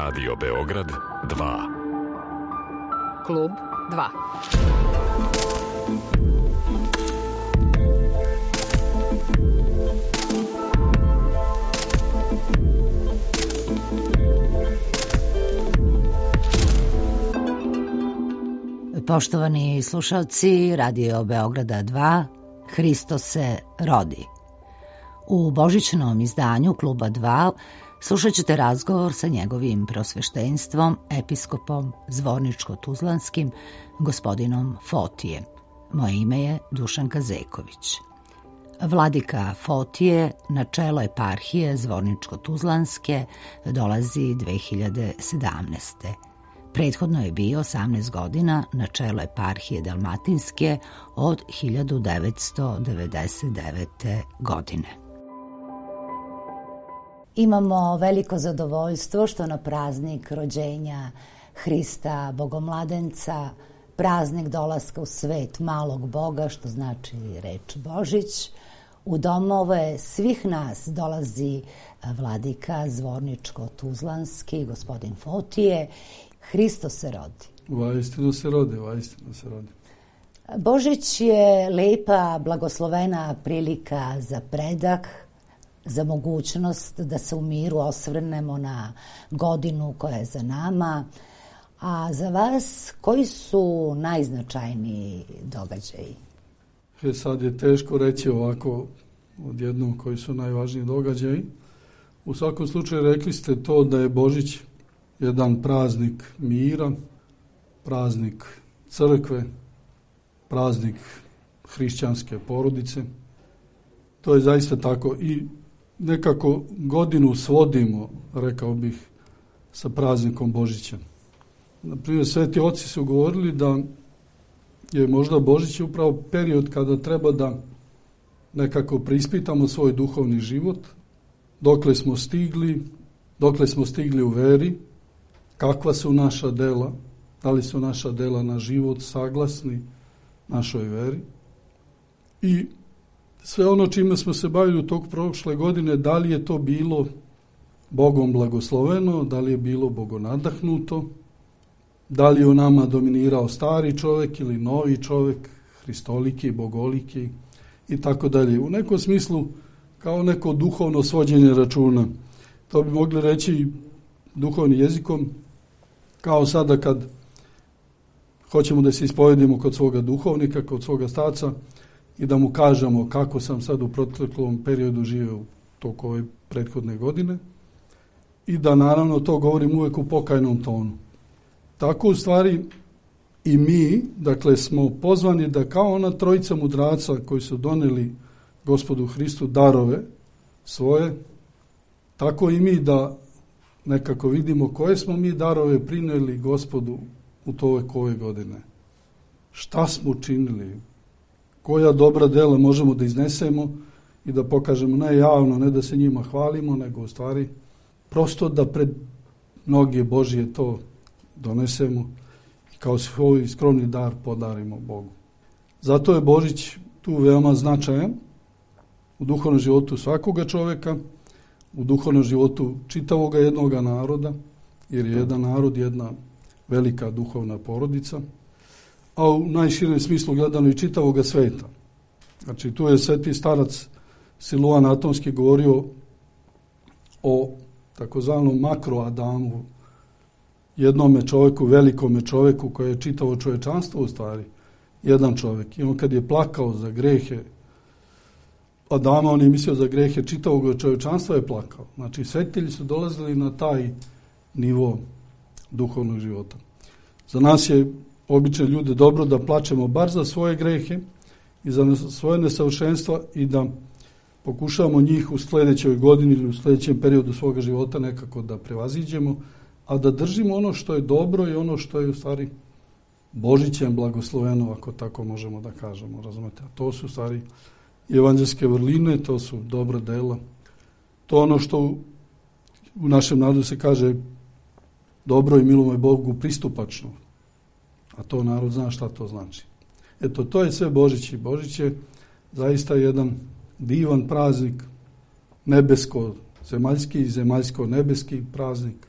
Radio Beograd 2. Klub 2. Poštovani slušalci Radio Beograda 2, Hristos se rodi. U božićnom izdanju Kluba 2 slušat ćete razgovor sa njegovim prosveštenstvom, episkopom Zvorničko-Tuzlanskim, gospodinom Fotijem. Moje ime je Dušanka Zeković. Vladika Fotije na čelo eparhije Zvorničko-Tuzlanske dolazi 2017. Prethodno je bio 18 godina na čelo eparhije Dalmatinske od 1999. godine. Imamo veliko zadovoljstvo što na praznik rođenja Hrista Bogomladenca, praznik dolaska u svet malog Boga, što znači reč Božić, u domove svih nas dolazi vladika Zvorničko-Tuzlanski, gospodin Fotije. Hristos se rodi. Vaistinu se rodi, vaistinu se rodi. Božić je lepa, blagoslovena prilika za predah, za mogućnost da se u miru osvrnemo na godinu koja je za nama. A za vas, koji su najznačajniji događaji? Sad je teško reći ovako odjednom koji su najvažniji događaji. U svakom slučaju rekli ste to da je Božić jedan praznik mira, praznik crkve, praznik hrišćanske porodice. To je zaista tako i nekako godinu svodimo, rekao bih, sa praznikom Božića. Naprimjer, sveti oci su govorili da je možda Božić upravo period kada treba da nekako preispitamo svoj duhovni život, dokle smo stigli u veri, kakva su naša dela, da li su naša dela na život saglasni našoj veri i sve ono čime smo se bavili u tog prošle godine, da li je to bilo Bogom blagosloveno, da li je bilo bogonadahnuto, da li je u nama dominirao stari čovjek ili novi čovjek, hristoliki, bogoliki i tako dalje. U nekom smislu kao neko duhovno svođenje računa. To bi mogli reći duhovnim jezikom, kao sada kad hoćemo da se ispovedimo kod svoga duhovnika, kod svoga starca i da mu kažemo kako sam sad u proteklom periodu živio toliko ove prethodne godine i da naravno to govorim uvijek u pokajnom tonu. Tako u stvari i mi, dakle, smo pozvani da kao ona trojica mudraca koji su doneli Gospodu Hristu darove svoje, tako i mi da nekako vidimo koje smo mi darove prinijeli Gospodu u toliko ove godine. Šta smo učinili? Koja dobra dela možemo da iznesemo i da pokažemo ne javno, ne da se njima hvalimo, nego u stvari prosto da pred mnoge Božije to donesemo i kao svoj skromni dar podarimo Bogu. Zato je Božić tu veoma značajan u duhovnom životu svakoga čovjeka, u duhovnom životu čitavoga jednoga naroda, jer je jedan narod jedna velika duhovna porodica, a u najširem smislu gledano i čitavoga sveta. Znači, tu je sveti starac Siluan Atonski govorio o takozvanom makroadamu, jednome čovjeku, velikome čovjeku koje je čitavo čovječanstvo u stvari, jedan čovjek. I on kad je plakao za grehe Adama, on je mislio za grehe čitavog čovječanstva je plakao. Znači, svetitelji su dolazili na taj nivo duhovnog života. Za nas je obične ljude dobro da plačemo bar za svoje grehe i za svoje nesavršenstva i da pokušavamo njih u sljedećoj godini ili u sljedećem periodu svoga života nekako da prevaziđemo, a da držimo ono što je dobro i ono što je u stvari Božićem blagosloveno, ako tako možemo da kažemo, razumete? A to su u stvari evanđelske vrline, to su dobra dela. To ono što u našem narodu se kaže dobro i milo je Bogu pristupačno. A to narod zna šta to znači. Eto, to je sve Božić i Božić je zaista jedan divan praznik, nebesko-zemaljski i zemaljsko-nebeski praznik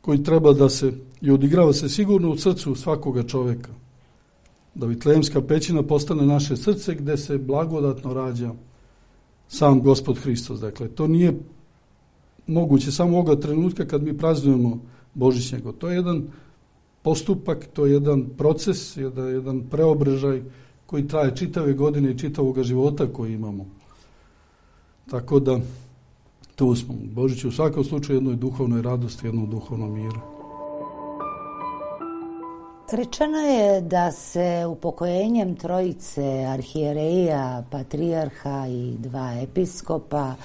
koji treba da se i odigrava se sigurno u srcu svakoga čoveka. Da Vitlejemska pećina postane naše srce gde se blagodatno rađa sam Gospod Hristos. Dakle, to nije moguće samo ovoga trenutka kad mi praznujemo Božić njegov. To je jedan postupak, to je jedan proces, jedan preobražaj koji traje čitave godine i čitavog života koji imamo. Tako da tu smo. Božić u svakom slučaju jednoj duhovnoj radosti, jednom duhovnom miru. Rečeno je da se upokojenjem trojice arhijereja, patrijarha i 2 episkopa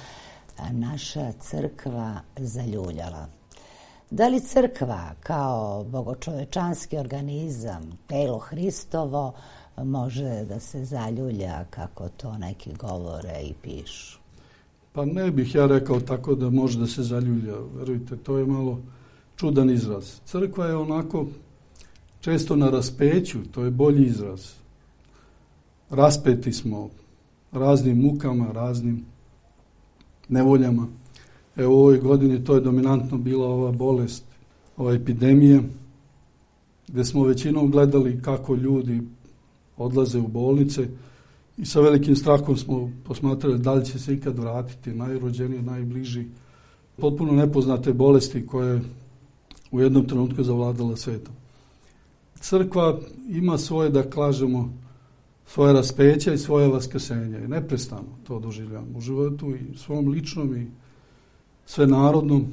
naša crkva zaljuljala. Da li crkva kao bogočovečanski organizam, telo Hristovo, može da se zaljulja kako to neki govore i pišu? Pa ne bih ja rekao tako da može da se zaljulja. Verujte, to je malo čudan izraz. Crkva je onako često na raspeću, to je bolji izraz. Raspeti smo raznim mukama, raznim nevoljama. Evo u ovoj godini to je dominantno bila ova bolest, ova epidemija, gde smo većinom gledali kako ljudi odlaze u bolnice i sa velikim strahom smo posmatrali da li će se ikad vratiti najrođeniji, najbliži, potpuno nepoznate bolesti koje u jednom trenutku zavladala svetom. Crkva ima svoje, da kažemo, svoje raspeća i svoje vaskrsenja i neprestano to doživljamo u životu i svom ličnom i svenarodnom,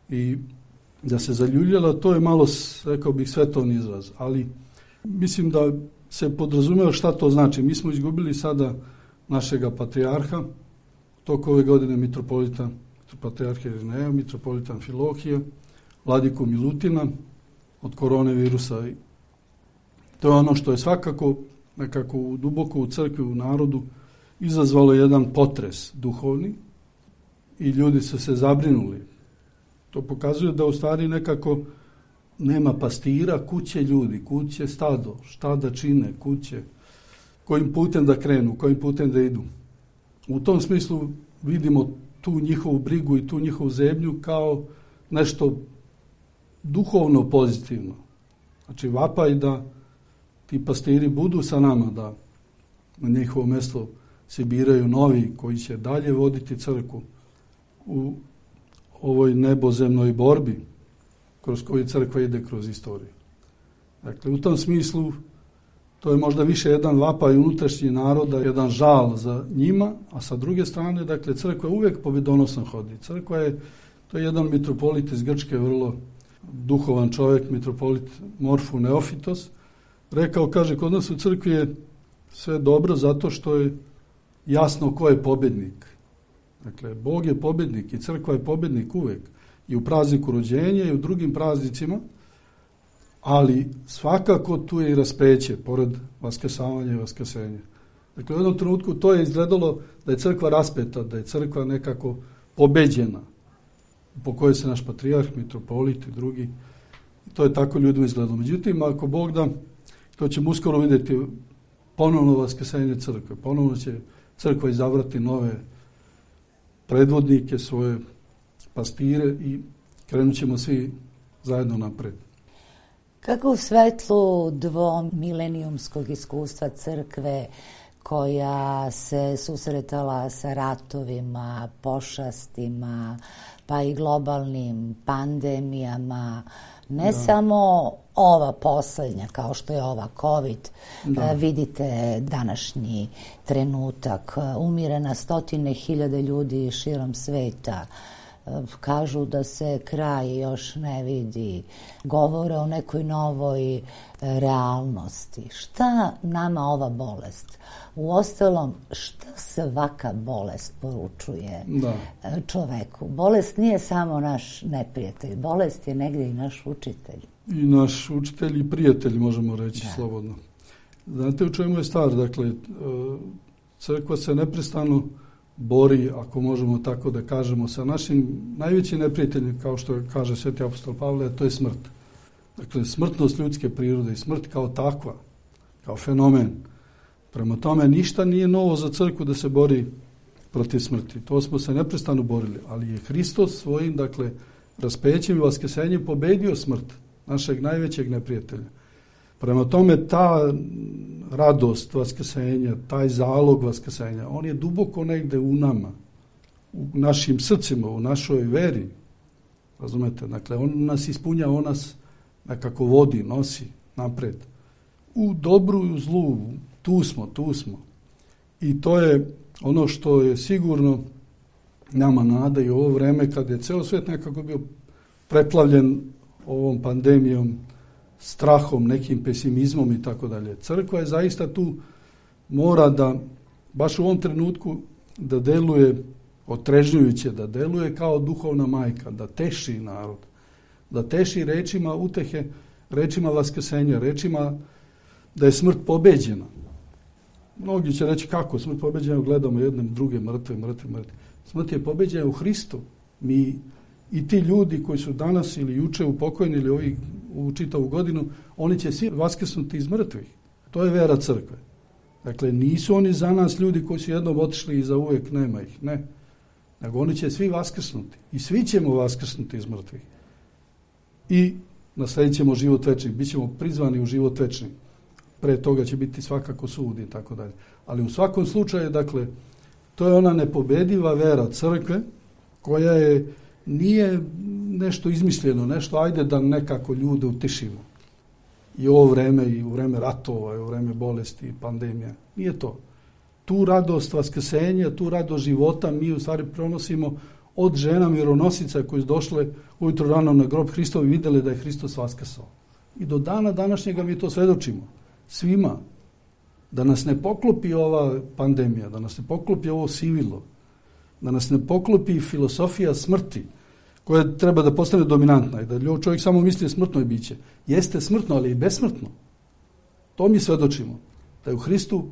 i da se zaljuljala, to je malo, rekao bih, svetovni izraz, ali mislim da se podrazumeva šta to znači. Mi smo izgubili sada našega patrijarha, toko ove godine mitropolita, patrijarha Irineja, mitropolita Amfilohija, vladiku Milutina od koronavirusa. To je ono što je svakako nekako duboko u crkvi, u narodu izazvalo jedan potres duhovni i ljudi su se zabrinuli. To pokazuje da u stvari nekako nema pastira, kuće ljudi, kuće stado, šta da čine, kuće, kojim putem da krenu, kojim putem da idu. U tom smislu vidimo tu njihovu brigu i tu njihovu zebnju kao nešto duhovno pozitivno. Znači vapaj da ti pastiri budu sa nama, da na njihovo mesto se biraju novi koji će dalje voditi crkvu u ovoj nebozemnoj borbi kroz koju crkva ide kroz istoriju. Dakle, u tom smislu to je možda više jedan vapaj unutrašnji naroda, jedan žal za njima, a sa druge strane, dakle, crkva uvijek pobjedonosno hodi. Crkva je, to je jedan mitropolit iz Grčke, vrlo duhovan čovjek, mitropolit Morfu Neofitos, rekao, kaže, kod nas u crkvi je sve dobro zato što je jasno ko je pobjednik. Dakle, Bog je pobjednik i crkva je pobjednik uvijek. I u prazniku rođenja i u drugim praznicima, ali svakako tu je i raspeće, pored vaskrsavanja i vaskrsenja. Dakle, u jednom trenutku to je izgledalo da je crkva raspeta, da je crkva nekako pobeđena, po kojoj se naš patrijarh, mitropolit i drugi. To je tako ljudima izgledalo. Međutim, ako Bog da, to ćemo uskoro vidjeti ponovno vaskrsenje crkve. Ponovno će crkva izabrati nove predvodnike, svoje pastire i krenut ćemo svi zajedno napred. Kako u svetlu dvomilenijumskog iskustva crkve koja se susretala sa ratovima, pošastima, pa i globalnim pandemijama, ne samo ova poslednja, kao što je ova COVID, vidite današnji trenutak, umire na 100.000 ljudi širom sveta, kažu da se kraj još ne vidi, govore o nekoj novoj realnosti. Šta nama ova bolest? Uostalom, šta svaka bolest poručuje čoveku? Bolest nije samo naš neprijatelj, bolest je negdje i naš učitelj. I naš učitelj i prijatelj, možemo reći slobodno. Znate u čemu je stvar? Dakle, crkva se neprestano bori, ako možemo tako da kažemo, sa našim najvećim neprijateljem, kao što kaže sveti apostol Pavle, to je smrt. Dakle, smrtnost ljudske prirode i smrt kao takva, kao fenomen. Prema tome, ništa nije novo za crkvu da se bori protiv smrti. To smo se neprestano borili, ali je Hristos svojim, dakle, raspećem i vaskrsenjem pobedio smrt, našeg najvećeg neprijatelja. Prema tome, ta radost vaskrsenja, taj zalog vaskrsenja, on je duboko negde u nama, u našim srcima, u našoj veri. Razumete? Dakle, on nas ispunja, on nas nekako vodi, nosi napred. U dobru i u zlu, tu smo. I to je ono što je sigurno nama nada i u ovo vreme kad je ceo svet nekako bio preplavljen ovom pandemijom, strahom, nekim pesimizmom i tako dalje. Crkva je zaista tu, mora da, baš u ovom trenutku, da deluje otrežnjujuće, da deluje kao duhovna majka, da teši narod, da teši rečima utehe, rečima vaskrsenja, rečima da je smrt pobeđena. Mnogi će reći kako, smrt pobeđena, gledamo jedne druge mrtve. Smrt je pobeđena u Hristu. Mi i ti ljudi koji su danas ili juče upokojeni ili u čitavu godinu, oni će svi vaskrsnuti iz mrtvih. To je vera crkve. Dakle, nisu oni za nas ljudi koji su jednom otišli i za uvijek nema ih. Ne. Nego oni će svi vaskrsnuti. I svi ćemo vaskrsnuti iz mrtvih. I nasledit ćemo život večni. Bićemo prizvani u život večni. Pre toga će biti svakako sud i tako dalje. Ali u svakom slučaju, dakle, to je ona nepobediva vera crkve koja nije nešto izmišljeno, nešto ajde da nekako ljude utešimo. I ovo vreme, i u vreme ratova, i u vreme bolesti, pandemija. Nije to. Tu radost vaskrsenja, tu radost života mi u stvari pronosimo od žena mironosica koji su došle ujutro rano na grob Hristov i vidjeli da je Hristos vaskrsao. I do dana današnjega mi to svedočimo. Svima. Da nas ne poklopi ova pandemija, da nas ne poklopi ovo sivilo, da nas ne poklopi filosofija smrti, koja treba da postane dominantna i da čovjek samo misli smrtno je biće. Jeste smrtno, ali i besmrtno. To mi svedočimo. Da je u Hristu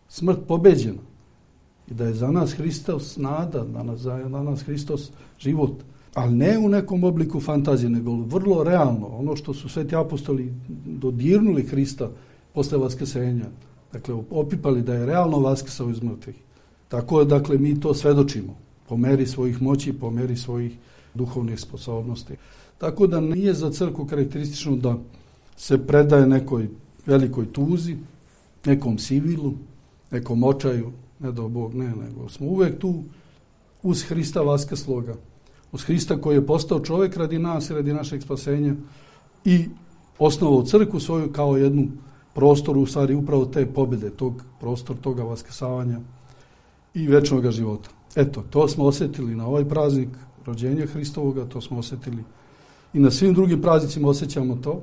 smrt pobeđena i da je za nas Hristos nada, za nas Hristos život. Ali ne u nekom obliku fantazije, nego vrlo realno. Ono što su sveti apostoli dodirnuli Hrista posle vaskrsenja. Dakle, opipali da je realno vaskrsao iz mrtvih. Tako je, dakle, mi to svedočimo. Po meri svojih moći, po meri svojih duhovnih sposobnosti. Tako da nije za crkvu karakteristično da se predaje nekoj velikoj tuzi, nekom sivilu, nekom očaju, ne do Bog, ne, nego smo uvek tu uz Hrista vaskrsloga, uz Hrista koji je postao čovjek radi nas i radi našeg spasenja i osnovao crkvu svoju kao jednu prostoru, u stvari upravo te pobjede, prostor toga vaskrsavanja i večnog života. Eto, to smo osjetili na ovaj praznik rođenja Hristovoga, to smo osjetili i na svim drugim praznicima osjećamo to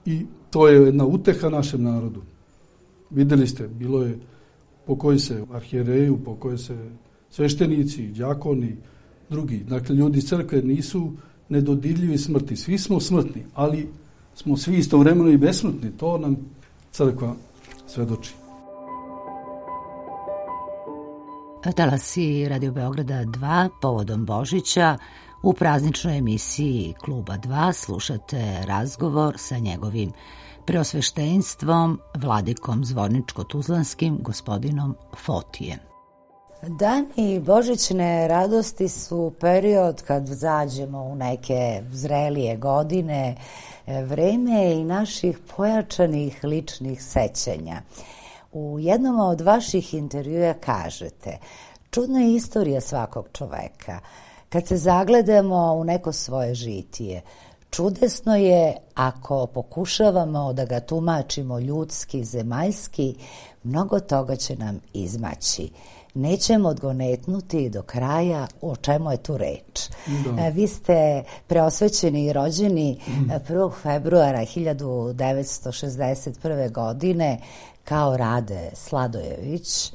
i to je jedna uteha našem narodu. Vidjeli ste, bilo je pokoji se arhijereju, pokoji se sveštenici, đakoni, drugi. Dakle, ljudi iz crkve nisu nedodirljivi smrti. Svi smo smrtni, ali smo svi istovremeno i besmrtni. To nam crkva svedoči. Talasi Radio Beograda 2 povodom Božića u prazničnoj emisiji Kluba 2 slušate razgovor sa njegovim preosveštenstvom, vladikom Zvorničko-Tuzlanskim, gospodinom Fotijem. Dani božićne radosti su period kad zađemo u neke zrelije godine, vreme i naših pojačanih ličnih sećanja. U jednom od vaših intervjua kažete: čudna je istorija svakog čoveka. Kad se zagledamo u neko svoje žitije, čudesno je ako pokušavamo da ga tumačimo ljudski, zemaljski, mnogo toga će nam izmaći. Nećemo odgonetnuti do kraja o čemu je tu reč. Vi ste preosvećeni i rođeni 1. februara 1961. godine kao Rade Sladojević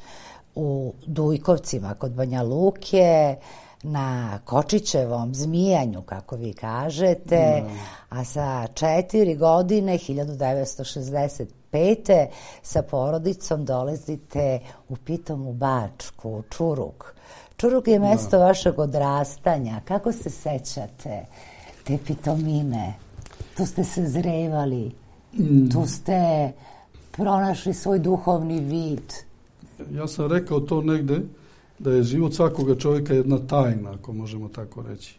u Dujkovcima kod Banja Luke, na Kočićevom zmijanju, kako vi kažete, a sa 4 godine, 1965. sa porodicom dolazite u pitomu Bačku, u Čurug. Čurug je mesto vašeg odrastanja. Kako se sećate te pitomine? Tu ste se zrevali, tu ste pronašli svoj duhovni vid. Ja sam rekao to negde, da je život svakoga čovjeka jedna tajna, ako možemo tako reći.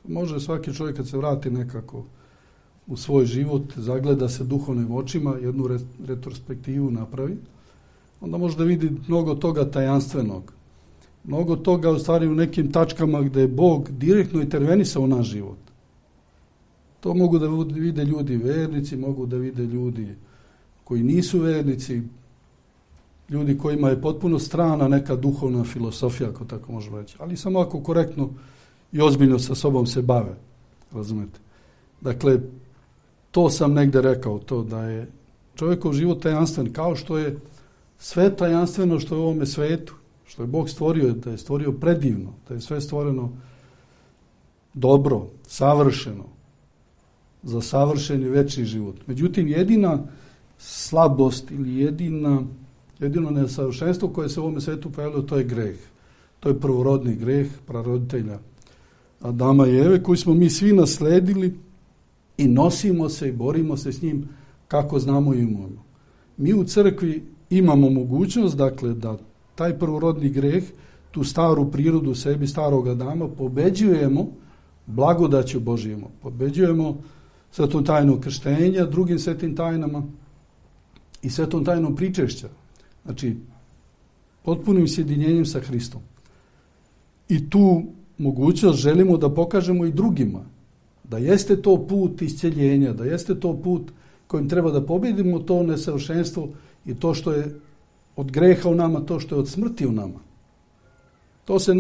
Može svaki čovjek kad se vrati nekako u svoj život, zagleda se duhovnim očima, jednu retrospektivu napravi, onda može da vidi mnogo toga tajanstvenog. Mnogo toga u stvari u nekim tačkama gdje je Bog direktno intervenisao u naš život. To mogu da vide ljudi vernici, mogu da vide ljudi koji nisu vernici, ljudi kojima je potpuno strana neka duhovna filosofija, ako tako možemo reći. Ali samo ako korektno i ozbiljno sa sobom se bave. Razumete? Dakle, to sam negde rekao, to da je čovjekov život tajanstven, kao što je sve tajanstveno što je u ovome svetu, što je Bog stvorio, da je stvorio predivno, da je sve stvoreno dobro, savršeno, za savršeni večni život. Međutim, jedina slabost ili jedino nesavršenstvo koje se u ovome svetu pojavilo, to je greh. To je prvorodni greh praroditelja Adama i Eve, koji smo mi svi nasledili i nosimo se i borimo se s njim kako znamo i umemo. Mi u crkvi imamo mogućnost, dakle, da taj prvorodni greh, tu staru prirodu u sebi, starog Adama, pobeđujemo blagodaću Božijom. Pobeđujemo svetom tajnom krštenja, drugim svetim tajnama i svetom tajnom pričešća. Znači, potpunim sjedinjenjem sa Hristom. I tu mogućnost želimo da pokažemo i drugima. Da jeste to put isceljenja, da jeste to put kojim treba da pobjedimo to nesavršenstvo i to što je od greha u nama, to što je od smrti u nama. To se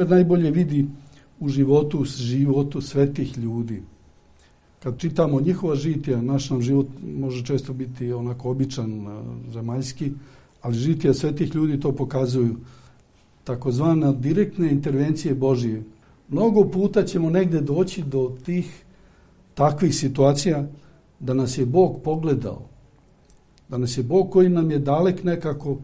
najbolje vidi u životu svetih ljudi. Kad čitamo njihova žitija, naš nam život može često biti onako običan, zemaljski, ali žitija svetih ljudi to pokazuju. Takozvana direktne intervencije Božije. Mnogo puta ćemo negde doći do tih takvih situacija da nas je Bog pogledao. Da nas je Bog koji nam je dalek nekako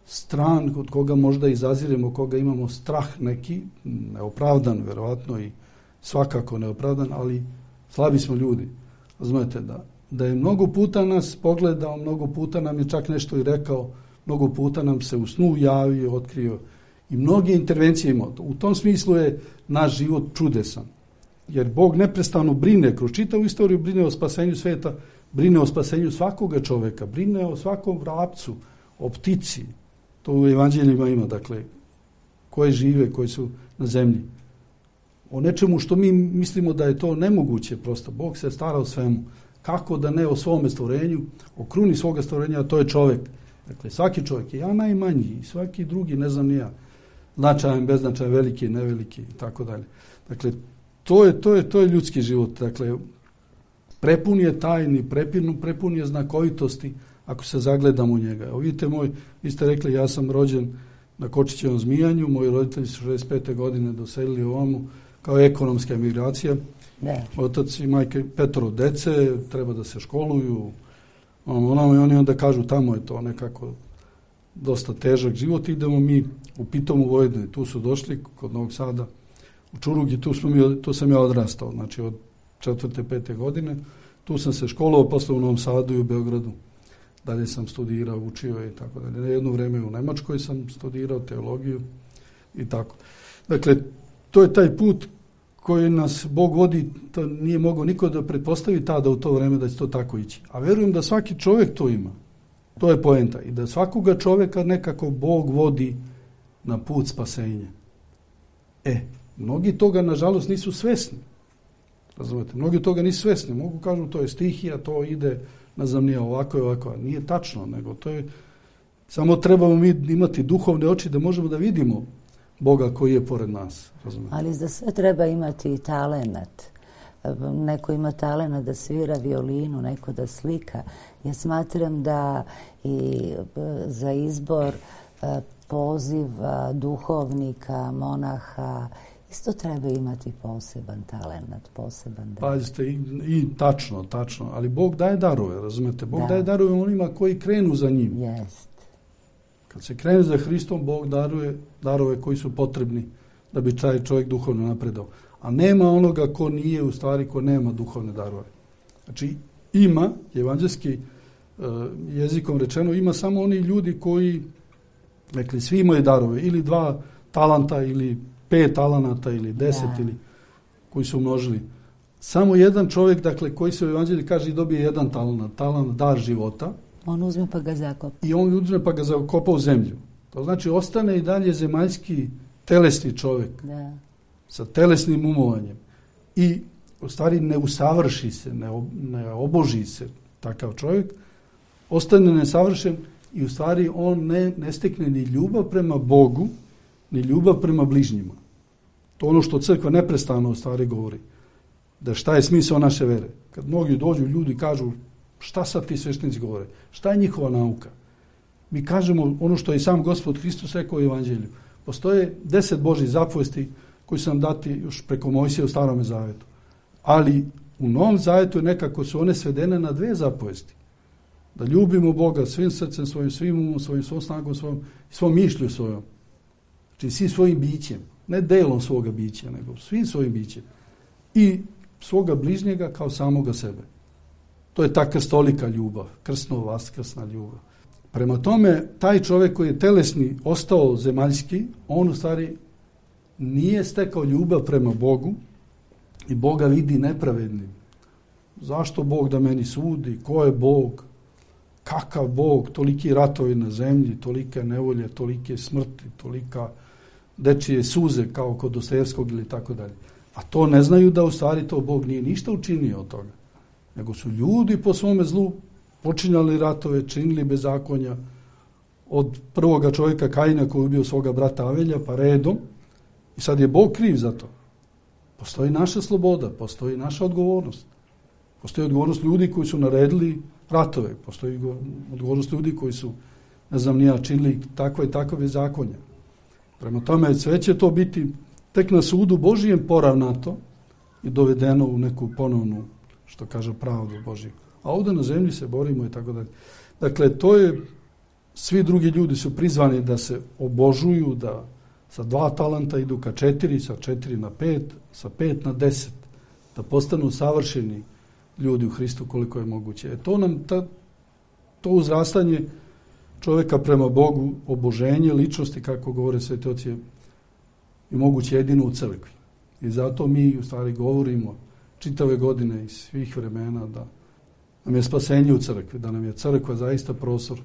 stran, od koga možda izaziremo, koga imamo strah neki, neopravdan verovatno i svakako neopravdan, ali slabi smo ljudi. Razumete da je mnogo puta nas pogledao, mnogo puta nam je čak nešto i rekao, mnogo puta nam se u snu javio, otkrio i mnoge intervencije imao. U tom smislu je naš život čudesan. Jer Bog neprestano brine, kroz čitavu istoriju brine o spasenju sveta, brine o spasenju svakoga čoveka, brine o svakom vrapcu, o ptici. To u evanđeljima ima, dakle, koje žive, koji su na zemlji. O nečemu što mi mislimo da je to nemoguće, prosto. Bog se stara o svemu. Kako da ne o svome stvorenju, o kruni svoga stvorenja, a to je čovjek. Dakle, svaki čovjek, ja najmanji, i svaki drugi, ne znam ni ja, značajan, beznačajan, veliki, neveliki i tako dalje. Dakle, to je ljudski život. Dakle, prepun je tajni, prepun je znakovitosti ako se zagledamo u njega. Evo vidite vi ste rekli, ja sam rođen na Kočićevom Zmijanju, moji roditelji su 65. godine doselili ovamo kao ekonomska emigracija. Ne. Otac i majke 5 dece, treba da se školuju. Oni onda kažu tamo je to nekako dosta težak život, idemo mi u Pitomu Vojvodini, tu su došli kod Novog Sada u Čurug i tu sam ja odrastao, znači od 4. 5. godine, tu sam se školovao, posle u Novom Sadu i u Beogradu, dalje sam studirao, učio i tako dalje. Na jedno vreme u Nemačkoj sam studirao teologiju i tako. Dakle, to je taj put koji nas Bog vodi, to nije mogao niko da pretpostavi tada u to vreme da će to tako ići. A verujem da svaki čovjek to ima. To je poenta. I da svakoga čovjeka nekako Bog vodi na put spasenja. Mnogi toga, nažalost, nisu svesni. Razumete? Mnogi toga nisu svesni. Mogu kažu to je stihija, to ide, ne znam, nije ovako i ovako. Nije tačno, nego to je... Samo trebamo mi imati duhovne oči da možemo da vidimo Boga koji je pored nas. Razumete? Ali za sve treba imati i talenat. Neko ima talenat da svira violinu, neko da slika. Ja smatram da i za izbor poziv duhovnika, monaha, isto treba imati poseban talenat, poseban dar. Pazite, i tačno, ali Bog daje darove, razumete? Bog daje darove onima koji krenu za njim. Jest. Kad se krene za Hristom, Bog daruje darove koji su potrebni da bi taj čovjek duhovno napredao. A nema onoga ko nije, u stvari, ko nema duhovne darove. Znači, ima, evanđelski jezikom rečeno, ima samo oni ljudi koji, rekli, svi imaju darove, ili 2 talanta, ili 5 talanata, ili 10, ili... koji su umnožili. Samo jedan čovjek, dakle, koji se u evanđelju kaže i dobije jedan talant, dar života. On uzme pa ga zakopa. I on uzme pa ga zakopa u zemlju. To znači ostane i dalje zemaljski telesni čovjek. Da. Sa telesnim umovanjem. I u stvari ne usavrši se, ne oboži se takav čovjek. Ostane nesavršen i u stvari on ne stekne ni ljubav prema Bogu, ni ljubav prema bližnjima. To ono što crkva neprestano u stvari govori. Da šta je smisao naše vere? Kad mnogi dođu, ljudi kažu šta sad ti sveštenici govore? Šta je njihova nauka? Mi kažemo ono što je sam Gospod Hristos rekao u evanđelju. Postoje 10 Božjih zapovesti koji su nam dati još preko Mojsija u Starome zavetu. Ali u Novom zavetu nekako su one svedene na 2 zapovesti. Da ljubimo Boga svim srcem svojim, svim umom svojim, svom snagom svojom i svom mišlju svojom. Znači svim svojim bićem. Ne delom svoga bića, nego svim svojim bićem. I svoga bližnjega kao samoga sebe. To je ta krstolika ljubav, krstno-vaskrsna ljubav. Prema tome, taj čovjek koji je telesni ostao zemaljski, on u stvari nije stekao ljubav prema Bogu i Boga vidi nepravednim. Zašto Bog da meni sudi? Ko je Bog? Kakav Bog? Toliki ratovi na zemlji, tolike nevolje, tolike smrti, tolika dečije suze kao kod Dostojevskog ili tako dalje. A to ne znaju da u stvari to Bog nije ništa učinio od toga. Nego su ljudi po svome zlu počinjali ratove, činili bezakonja od prvoga čovjeka Kaina koji je ubio svoga brata Avelja pa redom. I sad je Bog kriv za to. Postoji naša sloboda, postoji naša odgovornost. Postoji odgovornost ljudi koji su naredili ratove. Postoji odgovornost ljudi koji su, ne znam nija, činili takva i takva bezakonja. Prema tome, sve će to biti tek na sudu Božijem poravnato i dovedeno u neku ponovnu, što kaže, pravdu Božiju. A ovdje na zemlji se borimo i tako dalje. Dakle, to je, svi drugi ljudi su prizvani da se obožuju, da sa 2 talenta idu ka 4, sa 4 na 5, sa 5 na 10, da postanu savršeni ljudi u Hristu koliko je moguće. To uzrastanje čovjeka prema Bogu, oboženje ličnosti, kako govore sveti oci, je i moguće jedino u crkvi. I zato mi u stvari govorimo čitave godine i svih vremena da nam je spasenje u crkvi, da nam je crkva zaista prostor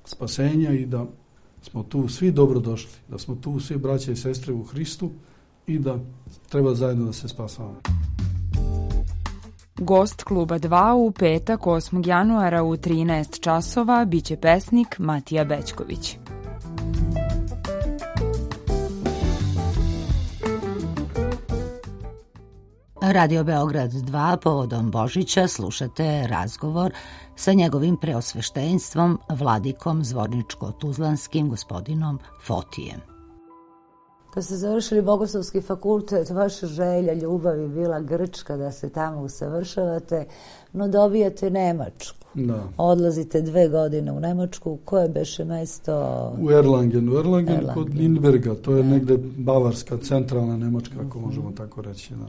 spasenja i da smo tu svi dobrodošli, da smo tu svi braća i sestre u Hristu i da treba zajedno da se spasavamo. Gost Kluba 2 u petak 8. januara u 13 časova biće pesnik Matija Bećković. Radio Beograd 2 povodom Božića slušate razgovor sa njegovim preosveštenstvom vladikom Zvorničko-Tuzlanskim gospodinom Fotijem. Kad ste završili Bogoslovski fakultet, vaša želja, ljubav je bila Grčka, da se tamo usavršavate, no dobijate Nemačku. Da. Odlazite 2 godine u Nemačku. Koje beše mesto? U Erlangen kod Lindberga. To je negde bavarska, centralna Nemačka, ako možemo tako reći. Da.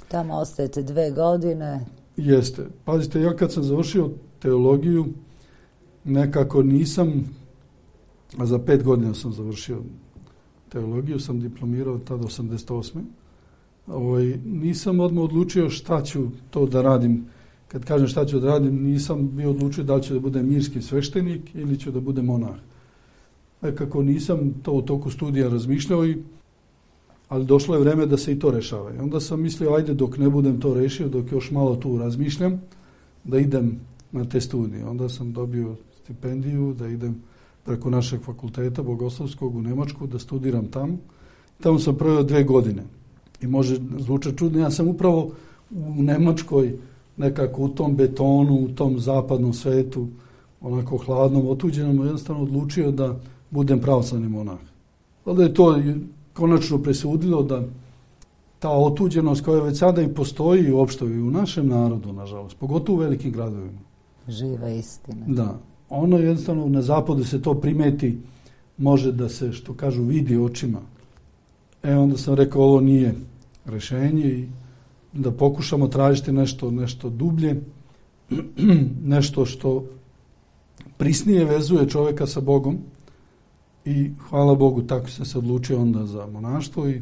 Tamo ostajete 2 godine. Jeste. Pazite, ja kad sam završio teologiju, nekako nisam, a za 5 godina sam završio teologiju, sam diplomirao tada 88. Nisam odmah odlučio šta ću to da radim. Kad kažem šta ću da radim, nisam bio odlučio da li ću da budem mirski sveštenik ili ću da budem monah. Nekako nisam to u toku studija razmišljao, ali došlo je vreme da se i to rešava. I onda sam mislio, ajde dok ne budem to rešio, dok još malo tu razmišljam, da idem na te studije. Onda sam dobio stipendiju da idem preko našeg fakulteta Bogoslovskog u Nemačku, da studiram tamo. Tamo sam proveo 2 godine. I može zvučati čudno, ja sam upravo u Nemačkoj nekako u tom betonu, u tom zapadnom svetu, onako hladnom, otuđenom, jednostavno odlučio da budem pravoslavni monah. Onda je to konačno presudilo da ta otuđenost koja već sada i postoji uopšte i u našem narodu, nažalost, pogotovo u velikim gradovima. Živa istina. Da. Ono jednostavno na zapadu se to primeti, može da se, što kažu, vidi očima. Onda sam rekao, ovo nije rešenje i da pokušamo tražiti nešto dublje, nešto što prisnije vezuje čovjeka sa Bogom i hvala Bogu, tako sam se odlučio onda za monaštvo i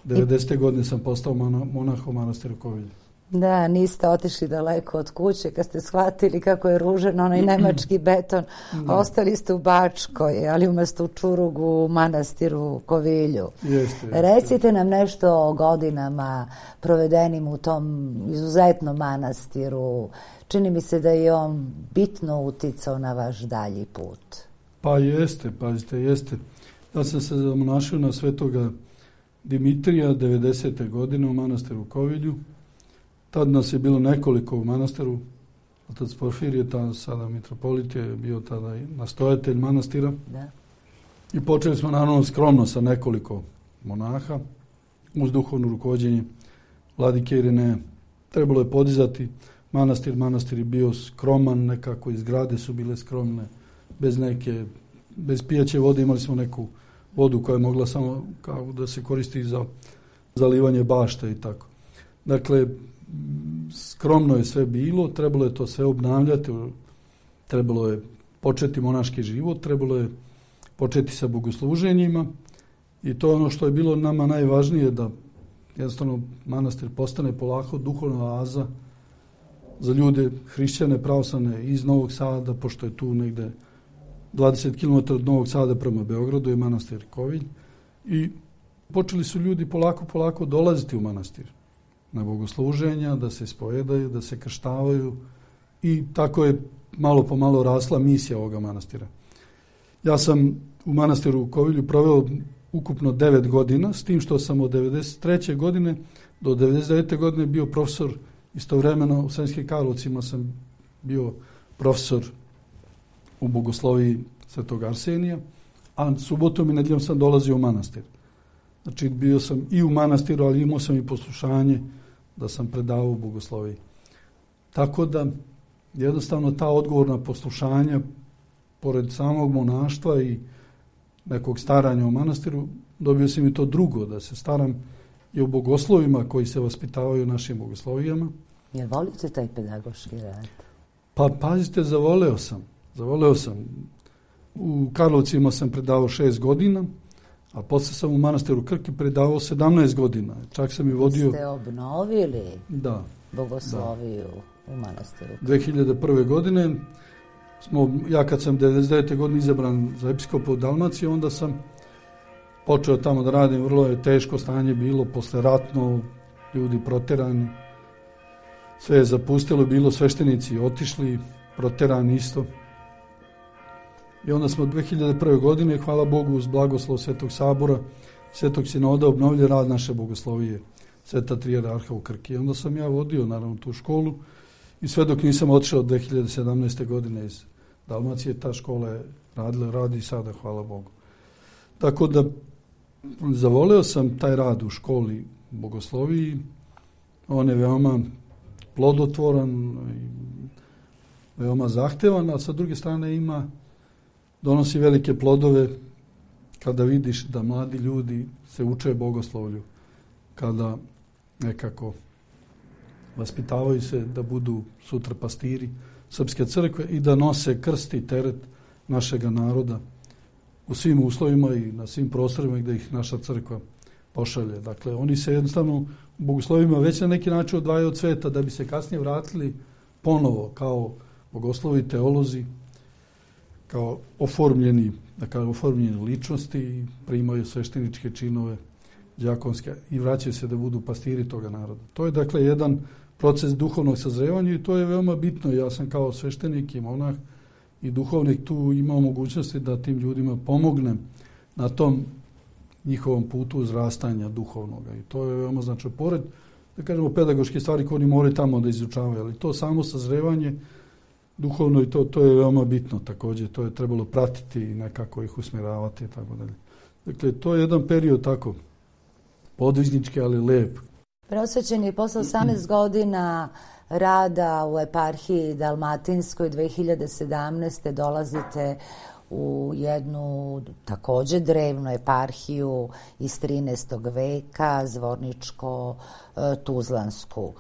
90. godine sam postao monah u manastiru Kovilju. Da, niste otišli daleko od kuće kad ste shvatili kako je ružan onaj nemački beton. Ostali ste u Bačkoj, ali umjesto u Čurugu u manastiru Kovilju. Jeste. Recite nam nešto o godinama provedenim u tom izuzetnom manastiru. Čini mi se da je on bitno uticao na vaš dalji put. Pa jeste, pazite, jeste. Ja sam se zamonašio na svetoga Dimitrija 90. godine u manastiru Kovilju. Tad nas je bilo nekoliko u manastiru. Otac Porfirije, sada mitropolit, je bio tada i nastojatelj manastira. Da. I počeli smo naravno skromno sa nekoliko monaha uz duhovno rukovođenje vladike Irineja. Trebalo je podizati manastir. Manastir je bio skroman, nekako i zgrade su bile skromne, bez pijaće vode. Imali smo neku vodu koja je mogla samo kao da se koristi za zalivanje bašte i tako. Dakle, skromno je sve bilo, trebalo je to sve obnavljati, trebalo je početi monaški život, trebalo je početi sa bogosluženjima i to je ono što je bilo nama najvažnije, da jednostavno manastir postane polako duhovna oaza za ljude hrišćane, pravoslavne iz Novog Sada, pošto je tu negde 20 km od Novog Sada prema Beogradu je manastir Kovilj i počeli su ljudi polako dolaziti u manastir na bogosluženja, da se ispovedaju, da se krštavaju i tako je malo po malo rasla misija ovoga manastira. Ja sam u manastiru u Kovilju proveo ukupno 9 godina, s tim što sam od 93. godine do 99. godine bio profesor. Istovremeno u Sremskim Karlovcima sam bio profesor u bogosloviji Svetog Arsenija, a subotom i nedjeljom sam dolazio u manastir. Znači bio sam i u manastiru, ali imao sam i poslušanje da sam predavao u bogosloviji. Tako da jednostavno ta odgovorna poslušanja, pored samog monaštva i nekog staranja u manastiru, dobio sam i to drugo, da se staram i o bogoslovima koji se vaspitavaju u našim bogoslovijama. Jel volite taj pedagoški rad? Pa pazite, zavoleo sam. U Karlovcima sam predavao 6 godina, a posle sam u manastiru Krki predavao 17 godina. Čak sam i vodio... Ste obnovili bogosloviju u manastiru Krki? 2001. godine ja kad sam 99. godine izabran za episkopa u Dalmaciji, onda sam počeo tamo da radim. Vrlo je teško stanje bilo, posleratno, ljudi proterani. Sve je zapustilo, bilo sveštenici otišli, proterani isto. I onda smo 2001. godine, hvala Bogu, uz blagoslov Svetog Sabora, Svetog Sinoda, obnovili rad naše bogoslovije, Sveta Trijerarha u Krki. I onda sam ja vodio, naravno, tu školu i sve dok nisam otišao od 2017. godine iz Dalmacije, ta škola je radila, radi sada, hvala Bogu. Tako da zavoleo sam taj rad u školi bogosloviji. On je veoma plodotvoran, veoma zahtevan, a sa druge strane donosi velike plodove kada vidiš da mladi ljudi se uče bogoslovlju, kada nekako vaspitavaju se da budu sutra pastiri Srpske crkve i da nose krst i teret našega naroda u svim uslovima i na svim prostorima gdje ih naša crkva pošalje. Dakle, oni se jednostavno u bogoslovima već na neki način odvajaju od sveta da bi se kasnije vratili ponovo kao bogoslovi, teolozi, kao oformljeni ličnosti i primaju svešteničke činove đakonske i vraćaju se da budu pastiri toga naroda. To je dakle jedan proces duhovnog sazrevanja i to je veoma bitno. Ja sam kao sveštenik i monah i duhovnik tu imao mogućnosti da tim ljudima pomognem na tom njihovom putu uzrastanja duhovnoga. I to je veoma znači pored, da kažemo, pedagoške stvari koje oni moraju tamo da izučavaju, ali to samo sazrevanje duhovno i to je veoma bitno također. To je trebalo pratiti i nekako ih usmjeravati i tako dalje. Dakle, to je jedan period tako podvižnički, ali lep. Preosvećeni posle 18 godina rada u eparhiji Dalmatinskoj 2017. dolazite u jednu također drevnu eparhiju iz 13. veka, Zvorničko-Tuzlansku.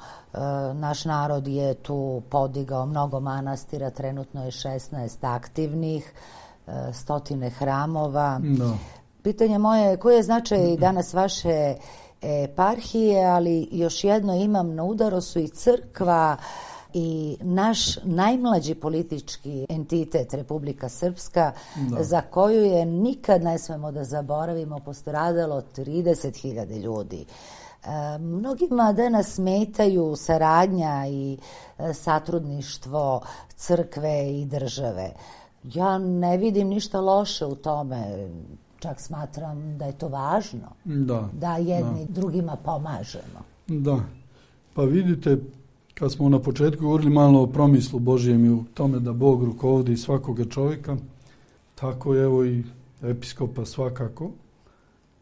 Naš narod je tu podigao mnogo manastira, trenutno je 16 aktivnih, 100 hramova. No. Pitanje moje je, koji je značaj danas vaše eparhije, ali još jedno imam na udaru su i crkva i naš najmlađi politički entitet, Republika Srpska, za koju je nikad ne smemo da zaboravimo postradalo 30.000 ljudi. Mnogima danas smetaju saradnja i satrudništvo crkve i države. Ja ne vidim ništa loše u tome, čak smatram da je to važno, da jedni drugima pomažemo. Da, pa vidite, kad smo na početku govorili malo o promislu Božjem i u tome da Bog rukovodi svakoga čovjeka, tako evo i episkopa svakako.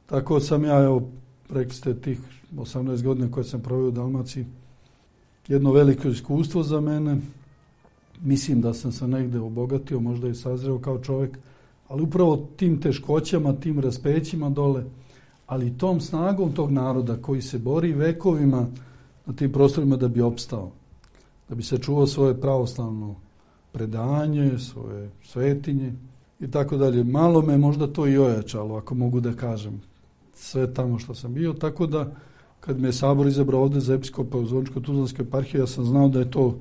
Tako sam ja, evo, rekli ste tih 18 godina koje sam proveo u Dalmaciji, jedno veliko iskustvo za mene. Mislim da sam se negde obogatio, možda i sazreo kao čovjek, ali upravo tim teškoćama, tim raspećima dole, ali tom snagom tog naroda koji se bori vekovima na tim prostorima da bi opstao, da bi sačuvao svoje pravoslavno predanje, svoje svetinje i tako dalje. Malo me možda to i ojačalo, ako mogu da kažem, sve tamo što sam bio, tako da kad me je Sabor izabrao ovde za episkopa u Zvoničko-Tuzlanskoj eparhiji, ja sam znao da je to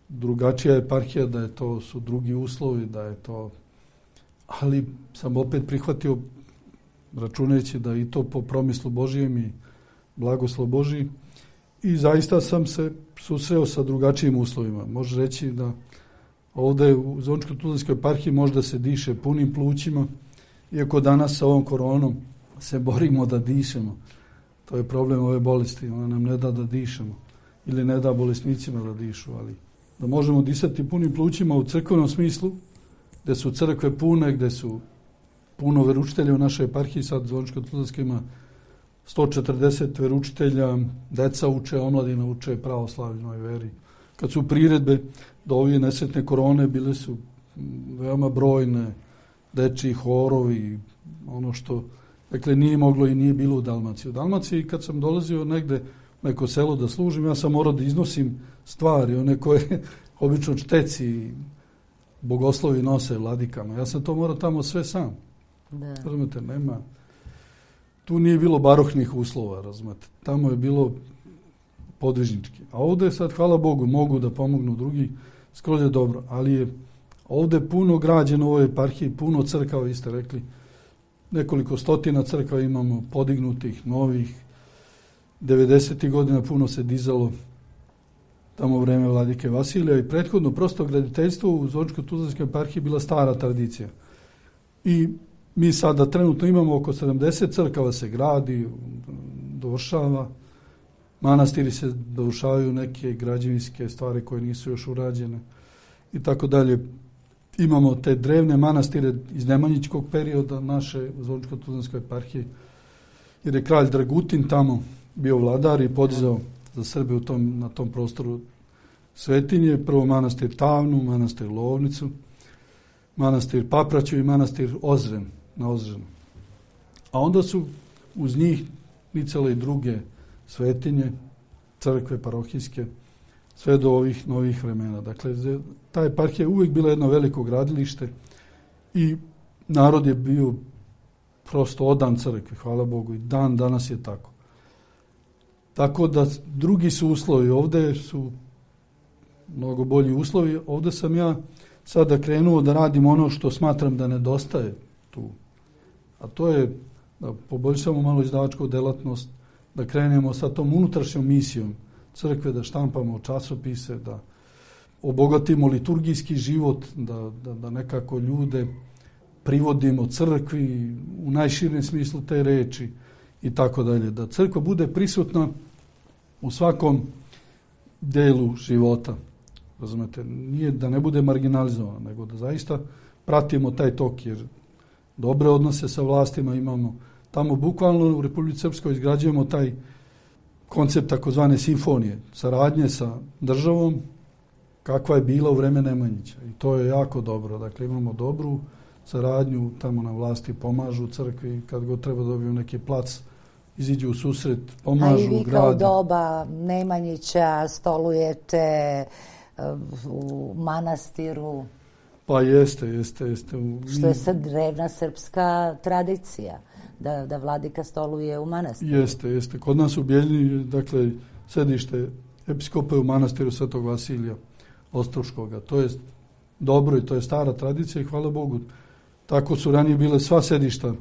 drugačija eparhija, da je to su drugi uslovi, da je to, ali sam opet prihvatio računajući da i to po promislu Božijem i blagoslov Božiji. I zaista sam se susreo sa drugačijim uslovima. Može reći da ovde u Zvoničko-Tuzlanskoj eparhiji možda se diše punim plućima, iako danas sa ovom koronom se borimo da dišemo. To je problem ove bolesti, ona nam ne da dišemo ili ne da bolesnicima da dišu, ali da možemo disati punim plućima u crkvenom smislu, gde su crkve pune, gde su puno veručitelja u našoj eparhiji, sad Zvoničko-Tuzlanska ima 140 veručitelja, deca uče, omladina uče pravoslavnoj veri. Kad su priredbe do ove nesretne korone, bile su veoma brojne, dečiji horovi, ono što, dakle, nije moglo i nije bilo u Dalmaciji. U Dalmaciji, kad sam dolazio negde u neko selo da služim, ja sam morao da iznosim stvari, one koje obično čteci bogoslovi nose vladikama. Ja sam to morao tamo sve sam. Razumete, nema. Tu nije bilo baroknih uslova, razumete. Tamo je bilo podvižnički. A ovde sad, hvala Bogu, mogu da pomognu drugi, skroz je dobro. Ali je ovde puno građeno u ovoj eparhiji, puno crkava, vi ste rekli, nekoliko stotina crkava imamo, podignutih, novih. 90. godina puno se dizalo tamo u vreme vladike Vasilija i prethodno prosto graditeljstvo u Zvoničko-Tuzlanskoj eparhiji bila stara tradicija. I mi sada trenutno imamo oko 70 crkava se gradi, dovršava, manastiri se dovršavaju, neke građevinske stvari koje nisu još urađene i tako dalje. Imamo te drevne manastire iz nemanjičkog perioda naše Zvoničko-Tuzlanskoj eparhije, jer je kralj Dragutin tamo bio vladar i podizao za Srbe na tom prostoru svetinje. Prvo manastir Tavnu, manastir Lovnicu, manastir Papraću i manastir Ozren na Ozrenu. A onda su uz njih nicale i druge svetinje, crkve parohijske, sve do ovih novih vremena. Dakle, ta eparhija je uvijek bila jedno veliko gradilište i narod je bio prosto odan crkvi, hvala Bogu, i dan danas je tako. Tako da drugi su uslovi, ovde su mnogo bolji uslovi. Ovde sam ja sada krenuo da radim ono što smatram da nedostaje tu. A to je da poboljšamo malo izdavačku delatnost, da krenemo sa tom unutrašnjom misijom crkve, da štampamo časopise, da obogatimo liturgijski život, da nekako ljude privodimo crkvi u najširem smislu te reči i tako dalje. Da crkva bude prisutna u svakom delu života. Razumete, nije da ne bude marginalizovana, nego da zaista pratimo taj tok, jer dobre odnose sa vlastima imamo. Tamo bukvalno u Republici Srpskoj izgrađujemo taj koncept takozvane simfonije, saradnje sa državom kakva je bila u vreme Nemanjića. I to je jako dobro. Dakle, imamo dobru saradnju, tamo na vlasti pomažu crkvi, kad god treba dobiju neki plac, iziđu u susret, pomažu, grade. A i vi kao doba Nemanjića stolujete u manastiru? Pa jeste. Što je sad drevna srpska tradicija, da vladika stoluje u manastiru. Jeste. Kod nas u Bijeljini, dakle, sedište episkopa je u manastiru Svetog Vasilija Ostroškoga. To je dobro i to je stara tradicija i hvala Bogu. Tako su ranije bile sva sedišta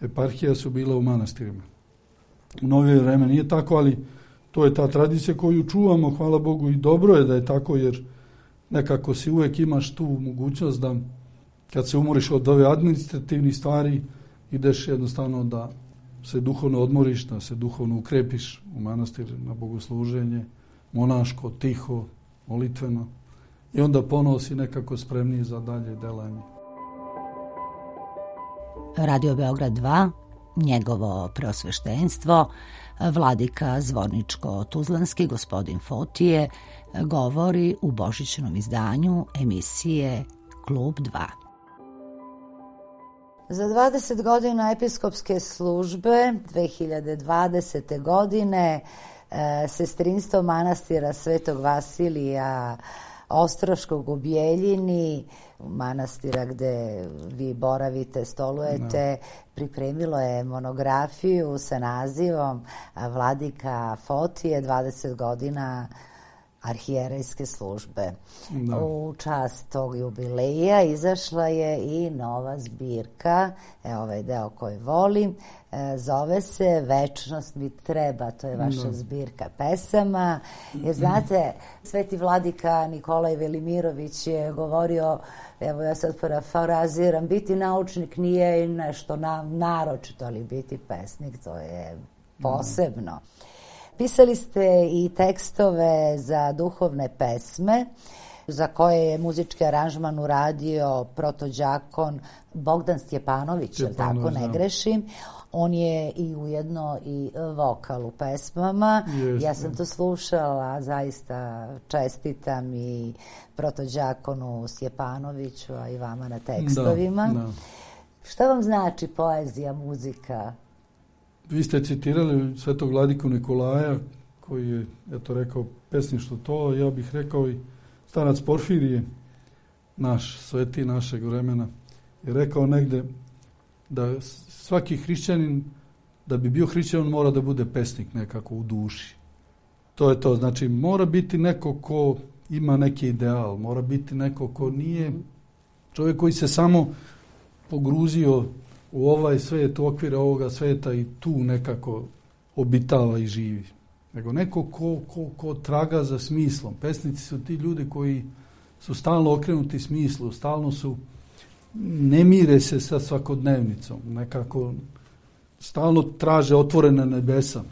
eparhija su bila u manastirima. U novije vreme nije tako, ali to je ta tradicija koju čuvamo, hvala Bogu, i dobro je da je tako, jer nekako si uvek imaš tu mogućnost da kad se umoriš od ove administrativnih stvari, ideš jednostavno da se duhovno odmoriš, da se duhovno ukrepiš u manastir na bogosluženje, monaško, tiho, molitveno, i onda ponovo si nekako spremniji za dalje delanje. Radio Beograd 2, njegovo preosveštenstvo, vladika Zvorničko-Tuzlanski, gospodin Fotije, govori u božićnom izdanju emisije Klub 2. Za 20 godina episkopske službe 2020. godine sestrinstvo manastira Svetog Vasilija Ostroškog u Bijeljini, manastira gde vi boravite, stolujete, pripremilo je monografiju sa nazivom Vladika Fotije 20 godina arhijerejske službe. U čast tog jubileja izašla je i nova zbirka, ovaj deo koji volim, zove se Večnost mi treba, to je vaša zbirka pesama. Jer znate, sveti vladika Nikolaj Velimirović je govorio, evo ja sad parafraziram, biti naučnik nije nešto naročito, ali biti pesnik to je posebno. Pisali ste i tekstove za duhovne pesme, za koje je muzički aranžman uradio protođakon Bogdan Stjepanović, tako ne grešim. On je i ujedno i vokal u pesmama. Ja sam to slušala, zaista čestitam i protođakonu Stjepanoviću, a i vama na tekstovima. Šta vam znači poezija, muzika? Vi ste citirali svetog vladiku Nikolaja, koji je, eto, rekao pesništvo to, ja bih rekao i starac Porfirije, naš sveti našeg vremena, je rekao negde da svaki hrišćanin, da bi bio hrišćanin, mora da bude pesnik nekako u duši. To je to, znači mora biti neko ko ima neki ideal, mora biti neko ko nije čovjek koji se samo pogruzio u ovaj svet, u okvire ovoga sveta i tu nekako obitava i živi. Nego neko ko traga za smislom. Pesnici su ti ljudi koji su stalno okrenuti smislu, stalno su, ne mire se sa svakodnevnicom, nekako stalno traže otvorene nebesa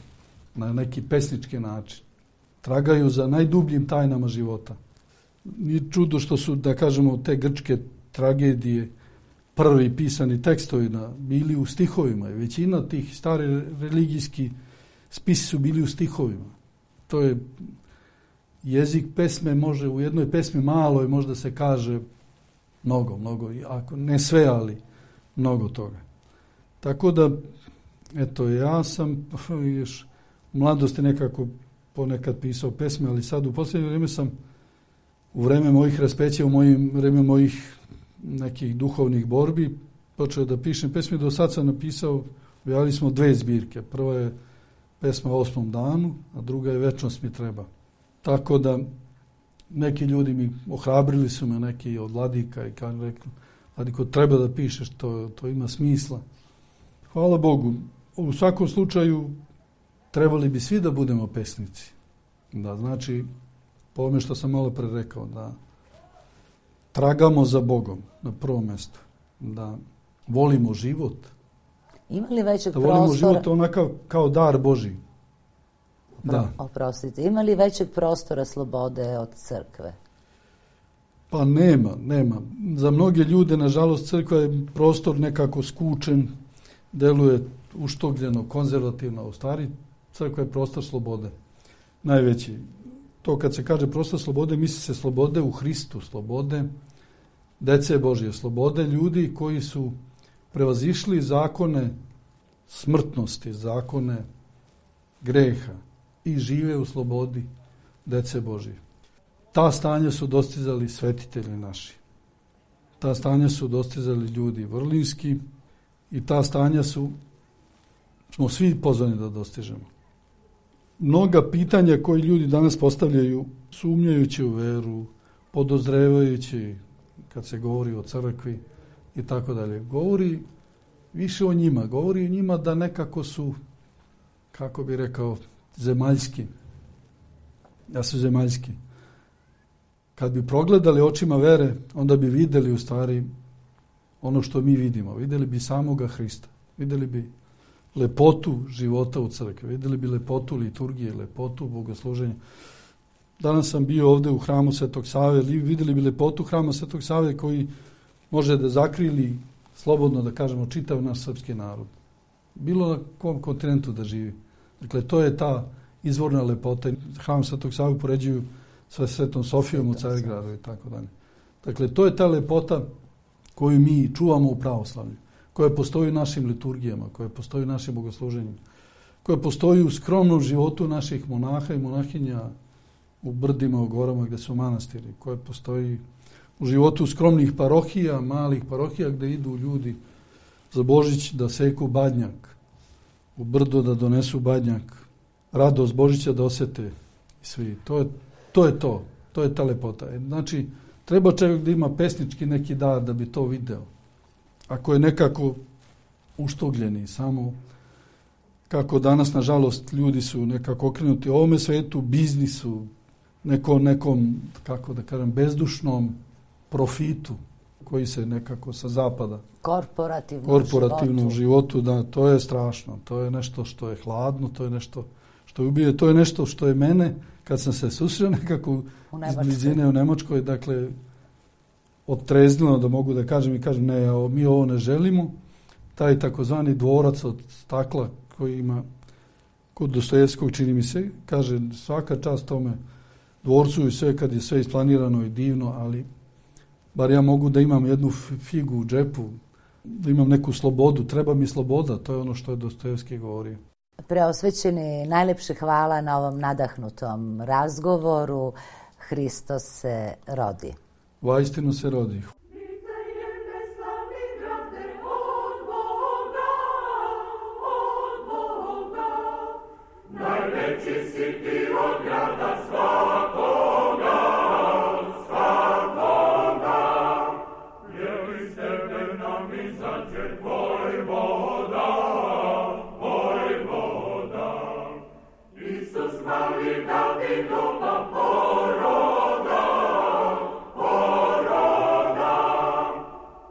na neki pesnički način. Tragaju za najdubljim tajnama života. Nije čudo što su, da kažemo, te grčke tragedije, prvi pisani tekstovi bili u stihovima. Većina tih stari religijski spisi su bili u stihovima. To je jezik pesme, može u jednoj pesmi maloj možda se kaže mnogo, ako ne sve, ali mnogo toga. Tako da, eto, ja sam još u mladosti nekako ponekad pisao pesme, ali sad u posljednje vrijeme sam u vreme mojih raspeća, u vreme mojih nekih duhovnih borbi počeo da pišem pesme. Do sad sam napisao, objavili smo 2 zbirke. Prva je pesma o 8. danu, a druga je Večnost mi treba. Tako da neki ljudi mi ohrabrili su me, neki od vladika, i kažu, rekli, vladiko, treba da pišeš, to ima smisla. Hvala Bogu. U svakom slučaju trebali bi svi da budemo pesnici. Da, znači, po ovome što sam malo pre rekao, da tragamo za Bogom na prvom mjestu, da volimo život. Ima li većeg prostora? Da volimo život onakav kao dar Božji. Oprostite, ima li većeg prostora slobode od crkve? Pa nema. Za mnoge ljude, nažalost, crkva je prostor nekako skučen, deluje uštogljeno, konzervativno. U stvari, crkva je prostor slobode. Najveći. To kad se kaže prostor slobode, misli se slobode u Hristu, slobode dece Božje, slobode ljudi koji su prevazišli zakone smrtnosti, zakone greha i žive u slobodi dece Božje. Ta stanja su dostizali svetitelji naši. Ta stanja su dostizali ljudi vrlinski i ta stanja smo svi pozvani da dostižemo. Mnoga pitanja koje ljudi danas postavljaju, sumnjajući u veru, podozrevajući kad se govori o crkvi i tako dalje, govori više o njima. Govori o njima da nekako su, kako bi rekao, zemaljski. Da su zemaljski. Kad bi progledali očima vere, onda bi videli u stvari ono što mi vidimo. Videli bi samoga Hrista. Videli bi lepotu života u crkvi. Videli bi lepotu liturgije, lepotu bogosluženja. Danas sam bio ovde u hramu Svetog Save. Videli bi lepotu hrama Svetog Save koji može da zakrili, slobodno da kažemo, čitav naš srpski narod. Bilo na kom kontinentu da živi. Dakle, to je ta izvorna lepota. Hram Svetog Save poređuju sa Svetom Sofijom u Carigradu i tako dalje. Dakle, to je ta lepota koju mi čuvamo u pravoslavlju, koja postoji u našim liturgijama, koja postoji u našim bogosluženjima, koja postoji u skromnom životu naših monaha i monahinja u brdima, u gorama gde su manastiri, koja postoji u životu skromnih parohija, malih parohija gde idu ljudi za Božić da seku badnjak, u brdo da donesu badnjak, radost Božića da osete svi. To je ta lepota. Znači, treba čovjek da ima pesnički neki dar da bi to video. Ako je nekako uštogljeni, samo kako danas, nažalost, ljudi su nekako okrenuti ovome svetu, biznisu, nekom, kako da kažem, bezdušnom profitu koji se nekako sa zapada. Korporativnom životu, da, to je strašno. To je nešto što je hladno, to je nešto što je ubije, to je nešto što je mene, kad sam se susreo nekako iz blizine u Nemačkoj, dakle, odtreznilo da mogu da kažem i kažem, ne, mi ovo ne želimo. Taj takozvani dvorac od stakla koji ima kod Dostojevskog, čini mi se, kaže svaka čast tome dvorcu i sve kad je sve isplanirano i divno, ali bar ja mogu da imam jednu figu u džepu, da imam neku slobodu, treba mi sloboda, to je ono što je Dostojevski govorio. Preosvećeni, najlepše hvala na ovom nadahnutom razgovoru. Hristos se rodi. Vaistinu se rodi. Najveći si ti od grada svakoga, svakoga. Je li s tebe nam izađe tvoj voda, tvoj voda. Isus mali Davidova poroda, poroda.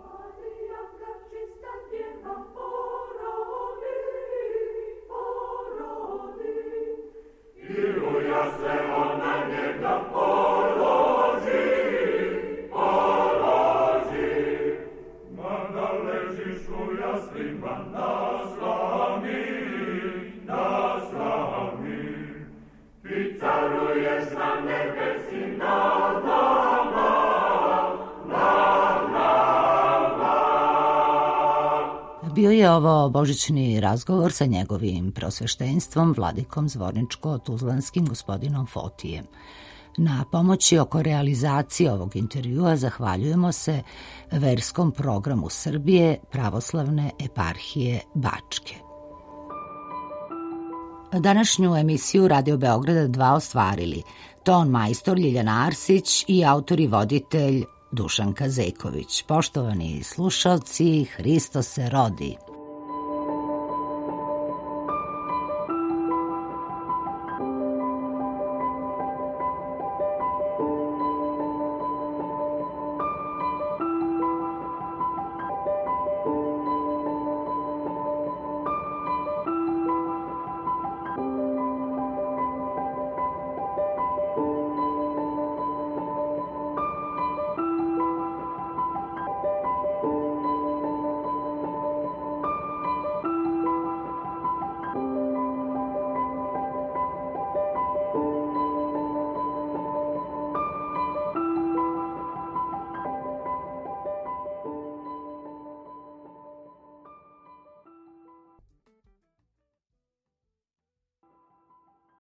Marijaka čista djeva porodi, porodi. Iluja se ona njega položi, položi. Mada ležiš u jaslima na slami, na slami. Ti caruješ na nebesi nad nama, nad nama. Bio je ovo božićni razgovor sa njegovim prosveštenstvom, vladikom Zvorničko-Tuzlanskim gospodinom Fotijem. Na pomoći oko realizacije ovog intervjua zahvaljujemo se verskom programu Srbije Pravoslavne eparhije Bačke. Današnju emisiju Radio Beograda 2 ostvarili ton majstor Ljiljana Arsić i autor i voditelj Dušanka Zeković. Poštovani slušalci, Hristos se rodi.